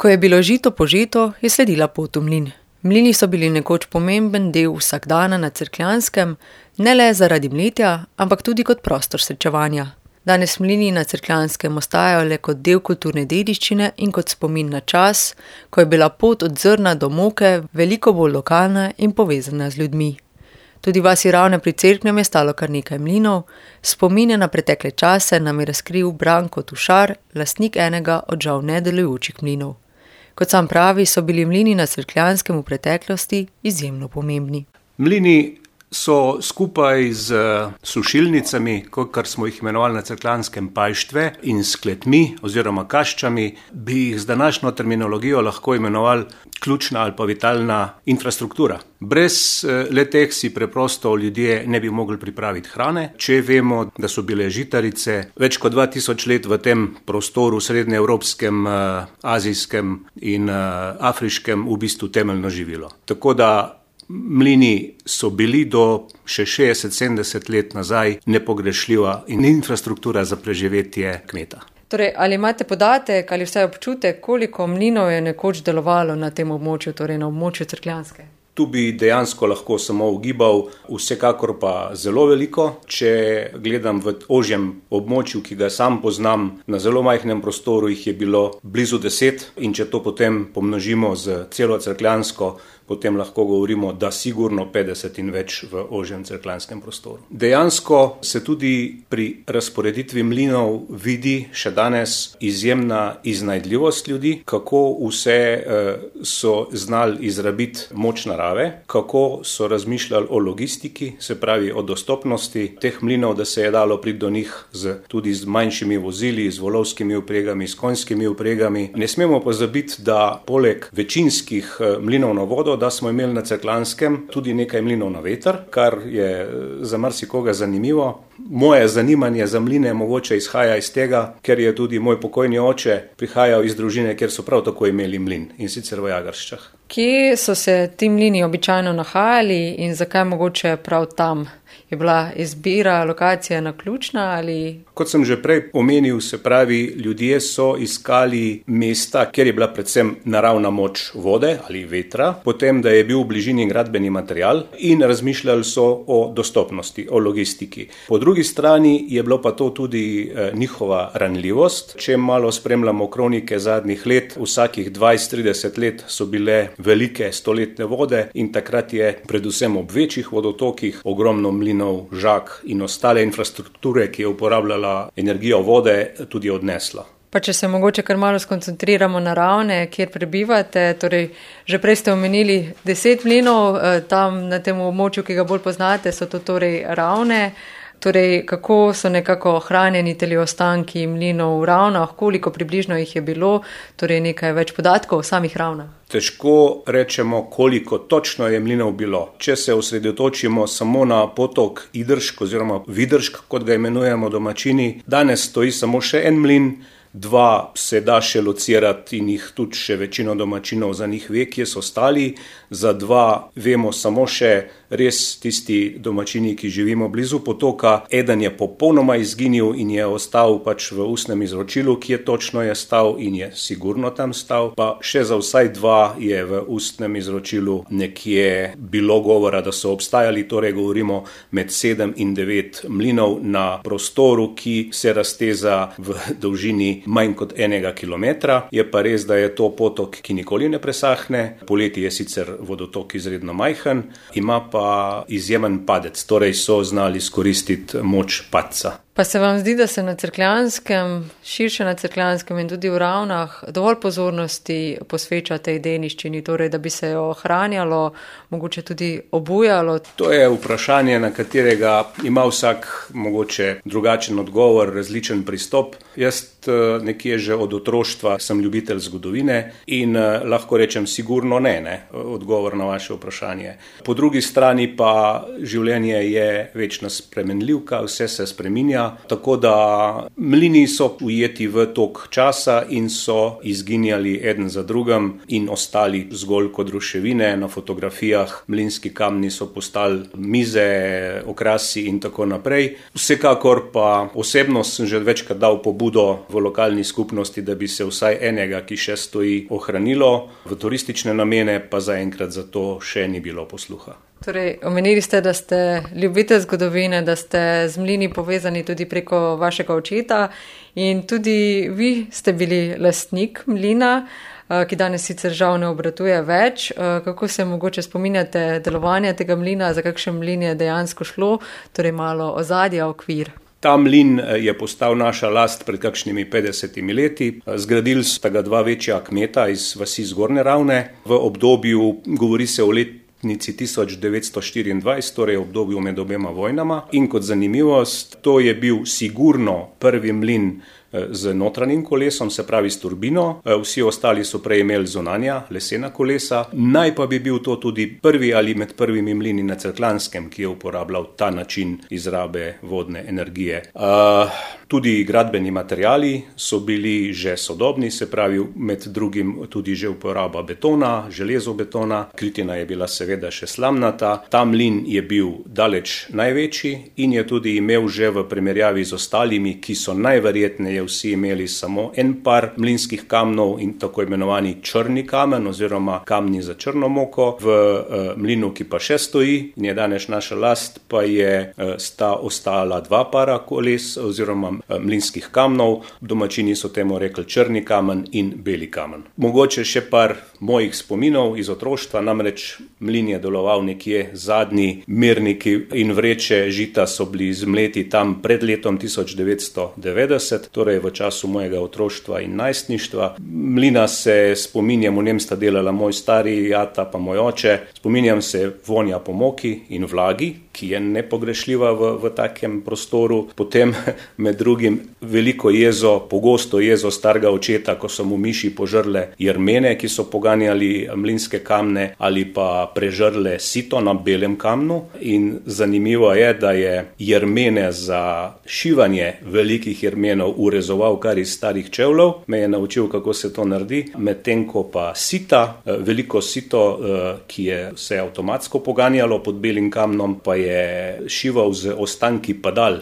Ko je bilo žito požeto, je sledila pot v mlin. Mlini so bili nekoč pomemben del vsakdana na Cerkljanskem, ne le zaradi mletja, ampak tudi kot prostor srečevanja. Danes mlini na Cerkljanskem ostajajo le kot del kulturne dediščine in kot spomin na čas, ko je bila pot od zrna do moke veliko bolj lokalna in povezana z ljudmi. Tudi v vasi Ravne pri Cerknem je stalo kar nekaj mlinov, spomine na pretekle čase nam je razkril Branko Tušar, lastnik enega od žal nedelujočih mlinov. Kot sam pravi, so bili mlini na Cerkljanskem v preteklosti izjemno pomembni. Mlini so skupaj z sušilnicami, kar smo jih imenovali na Cerkljanskem pajštve, in s kletmi oziroma kaščami, bi jih z današnjo terminologijo lahko imenovali ključna ali pa vitalna infrastruktura. Brez le-teh si preprosto ljudje ne bi mogli pripraviti hrane. Če vemo, da so bile žitarice več kot 2000 let v tem prostoru srednjeevropskem, azijskem in afriškem v bistvu temeljno živilo. Tako da mlini so bili do še 60-70 let nazaj nepogrešljiva in infrastruktura za preživetje kmeta. Torej, ali imate podatek ali vsaj občutek, koliko mlinov je nekoč delovalo na tem območju, torej na območju Cerkljanske? Tu bi dejansko lahko samo ugibal, vsekakor pa zelo veliko. Če gledam v ožjem območju, ki ga sam poznam, na zelo majhnem prostoru jih je bilo blizu 10 in če to potem pomnožimo z celo Cerkljansko, potem lahko govorimo, da sigurno 50 in več v ožjem cerkljanskem prostoru. Dejansko se tudi pri razporeditvi mlinov vidi še danes izjemna iznajdljivost ljudi, kako vse so znali izrabiti moč narave, kako so razmišljali o logistiki, se pravi o dostopnosti teh mlinov, da se je dalo priti do njih tudi z manjšimi vozili, z volovskimi vpregami, s konjskimi vpregami. Ne smemo pozabiti, da poleg večinskih mlinov na vodo, da smo imeli na Cerkljanskem tudi nekaj mlinov na veter, kar je za marsikoga zanimivo. Moje zanimanje za mline mogoče izhaja iz tega, ker je tudi moj pokojni oče prihajal iz družine, kjer so prav tako imeli mlin, in sicer v Jagrščah. Kje so se ti mlini običajno nahajali in zakaj mogoče prav tam? Je bila izbira lokacije naključna ali? Kot sem že prej omenil, se pravi, ljudje so iskali mesta, kjer je bila predvsem naravna moč vode ali vetra, potem, da je bil v bližini gradbeni material in razmišljali so o dostopnosti, o logistiki. Po drugi strani je bilo pa to tudi njihova ranljivost. Če malo spremljamo kronike zadnjih let, vsakih 20-30 let so bile velike stoletne vode in takrat je predvsem ob večjih vodotokih ogromno mlinov, žag in ostale infrastrukture, ki je uporabljala energijo vode, tudi odnesla. Pa če se mogoče kar malo skoncentriramo na Ravne, kjer prebivate, torej že prej ste omenili 10 mlinov, tam na tem območju, ki ga bolj poznate, so to torej Ravne. Torej, kako so nekako ohranjeni teli ostanki mlinov v Ravnah, koliko približno jih je bilo, torej nekaj več podatkov o samih Ravnah? Težko rečemo, koliko točno je mlinov bilo. Če se osredotočimo samo na potok Idršk oziroma Vidršk, kot ga imenujemo domačini, danes stoji samo še en mlin, 2 se da še locirati in jih tudi še večino domačinov za njih ve, kje so stali. Za 2 vemo samo še res tisti domačini, ki živimo blizu potoka. Eden je popolnoma izginil in je ostal pač v ustnem izročilu, kje točno je stal in je sigurno tam stal. Pa še za vsaj 2 je v ustnem izročilu nekje bilo govora, da so obstajali, torej govorimo med 7 in 9 mlinov na prostoru, ki se razteza v dolžini manj kot 1 kilometra. Je pa res, da je to potok, ki nikoli ne presahne. Poleti je sicer vodotok izredno majhen, ima pa izjemen padec, torej so znali izkoristiti moč padca. Pa se vam zdi, da se na Cerkljanskem, širše na Cerkljanskem in tudi v Ravnah dovolj pozornosti posveča tej dediščini, torej da bi se jo ohranjalo, mogoče tudi obujalo? To je vprašanje, na katerega ima vsak mogoče drugačen odgovor, različen pristop. Jaz nekje že od otroštva sem ljubitelj zgodovine in lahko rečem sigurno ne, odgovor na vaše vprašanje. Po drugi strani pa življenje je večna spremenljivka, vse se spreminja. življenja, tako da mlini so ujeti v tok časa in so izginjali eden za drugim in ostali zgolj kot ruševine. Na fotografijah mlinski kamni so postali mize, okrasi in tako naprej. Vsekakor pa osebno sem že večkrat dal pobudo v lokalni skupnosti, da bi se vsaj enega, ki še stoji, ohranilo. V turistične namene pa zaenkrat za to še ni bilo posluha. Torej, omenili ste, da ste ljubitelj zgodovine, da ste z mlini povezani tudi preko vašega očeta in tudi vi ste bili lastnik mlina, ki danes sicer žal ne obratuje več. Kako se mogoče spominjate delovanja tega mlina, za kakšen mlin je dejansko šlo, torej malo ozadja, okvir? Ta mlin je postal naša last pred kakšnimi 50 leti. Zgradili sta ga dva večja kmeta iz vasi Zgornje Ravne. V obdobju, govori se o letnici 1924, torej obdobju med obema vojnama. In kot zanimivost, to je bil sigurno prvi mlin z notranjim kolesom, se pravi s turbino. Vsi ostali so prej imeli zunanja lesena kolesa. Naj pa bi bil to tudi prvi ali med prvimi mlini na Cerkljanskem, ki je uporabljal ta način izrabe vodne energije. Tudi gradbeni materiali so bili že sodobni, se pravi med drugim tudi že uporaba betona, železobetona. Kritina je bila seveda še slamnata. Ta mlin je bil daleč največji in je tudi imel že v primerjavi z ostalimi, ki so najverjetneje vsi imeli samo en par mlinskih kamnov in tako imenovani črni kamen oziroma kamni za črno moko. V mlinu, ki pa še stoji in je danes naša last, pa sta ostala dva para koles oziroma mlinskih kamnov. Domačini so temu rekli črni kamen in beli kamen. Mogoče še par mojih spominov iz otroštva, namreč mlin je deloval nekje zadnji mirniki in vreče žita so bili zmleti tam pred letom 1990, torej v času mojega otroštva in najstništva. Mlina se spominjam, v njem sta delala moj stari ata pa moj oče. Spominjam se vonja po moki in vlagi, ki je nepogrešljiva v takem prostoru. Potem med drugim veliko jezo, pogosto jezo starega očeta, ko so mu miši požrle jermene, ki so poganjali mlinske kamne, ali pa prežrle sito na belem kamnu. In zanimivo je, da je jermene za šivanje velikih jermenov urezoval kar iz starih čevljev. Me je naučil, kako se to naredi. Medtem ko pa sita, veliko sito, ki se je avtomatsko poganjalo pod belim kamnom, pa je šival z ostanki padal,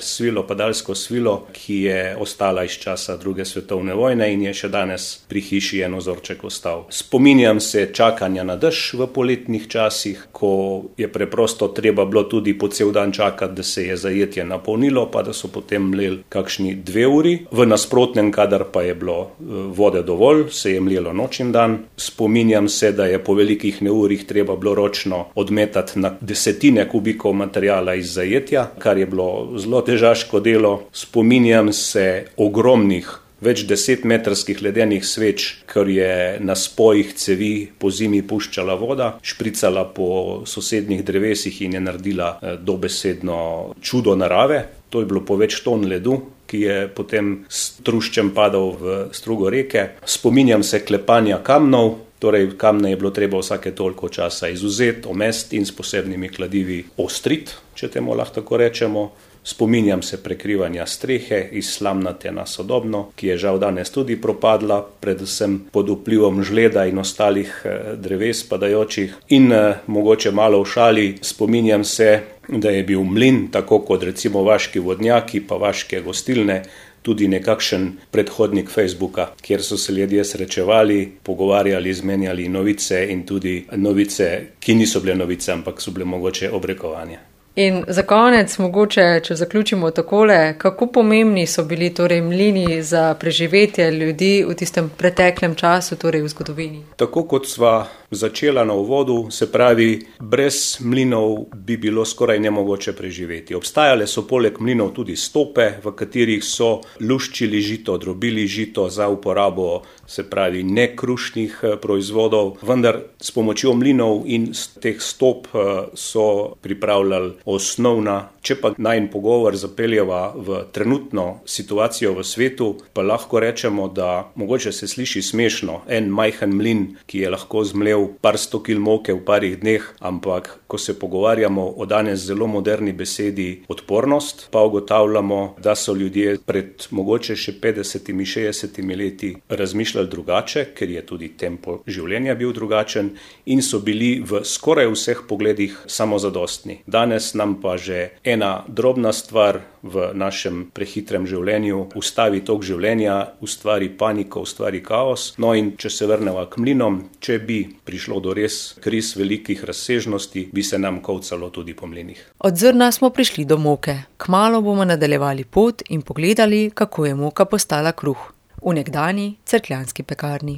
padalsko svilo, ki je ostala iz časa druge svetovne vojne in je še danes pri hiši en ozorček ostal. Spominjam se čakanja na dež v poletnih časih, ko je preprosto treba bilo tudi po cel dan čakati, da se je zajetje napolnilo, pa da so potem mleli kakšni 2 uri. V nasprotnem, kadar pa je bilo vode dovolj, se je mlelo noč in dan. Spominjam se, da je po velikih neurjih treba bilo ročno odmetati na desetine kubikov materijala iz zajetja, kar je bilo zelo težaško delo. Spominjam se ogromnih, več 10-metrskih ledenih sveč, ker je na spojih cevi po zimi puščala voda, špricala po sosednjih drevesih in je naredila dobesedno čudo narave. To je bilo po več ton ledu, ki je potem s truščem padal v strugo reke. Spominjam se klepanja kamnov, torej kamne je bilo treba vsake toliko časa izuzeti, omesti in s posebnimi kladivi ostriti, če temu lahko tako rečemo. Spominjam se prekrivanja strehe iz slamnate na sodobno, ki je žal danes tudi propadla, predvsem pod vplivom žleda in ostalih dreves padajočih. In mogoče malo v šali, spominjam se, da je bil mlin, tako kot recimo vaški vodnjaki pa vaške gostilne, tudi nekakšen predhodnik Facebooka, kjer so se ljudje srečevali, pogovarjali, izmenjali novice in tudi novice, ki niso bile novice, ampak so bile mogoče obrekovanja. In za konec, mogoče, če zaključimo takole, kako pomembni so bili torej mlini za preživetje ljudi v tistem preteklem času, torej v zgodovini? Tako kot sva začela na uvodu, se pravi, brez mlinov bi bilo skoraj nemogoče preživeti. Obstajale so poleg mlinov tudi stope, v katerih so luščili žito, drobili žito za uporabo, se pravi, nekrušnih proizvodov, vendar s pomočjo mlinov in teh stop so pripravljali osnovna. Če pa najin pogovor zapeljeva v trenutno situacijo v svetu, pa lahko rečemo, da mogoče se sliši smešno, en majhen mlin, ki je lahko zmlel par 100 kil moke v parih dneh, ampak ko se pogovarjamo o danes zelo moderni besedi odpornost, pa ugotavljamo, da so ljudje pred mogoče še 50-60 leti razmišljali drugače, ker je tudi tempo življenja bil drugačen in so bili v skoraj vseh pogledih samozadostni. Danes nam pa že ena drobna stvar v našem prehitrem življenju ustavi tok življenja, ustvari paniko, ustvari kaos. No in če se vrneva k mlinom, če bi prišlo do res kriz velikih razsežnosti, bi se nam kovcalo tudi po mlinih. Od zrna smo prišli do moke. Kmalu bomo nadaljevali pot in pogledali, kako je moka postala kruh v nekdanji cerkljanski pekarni.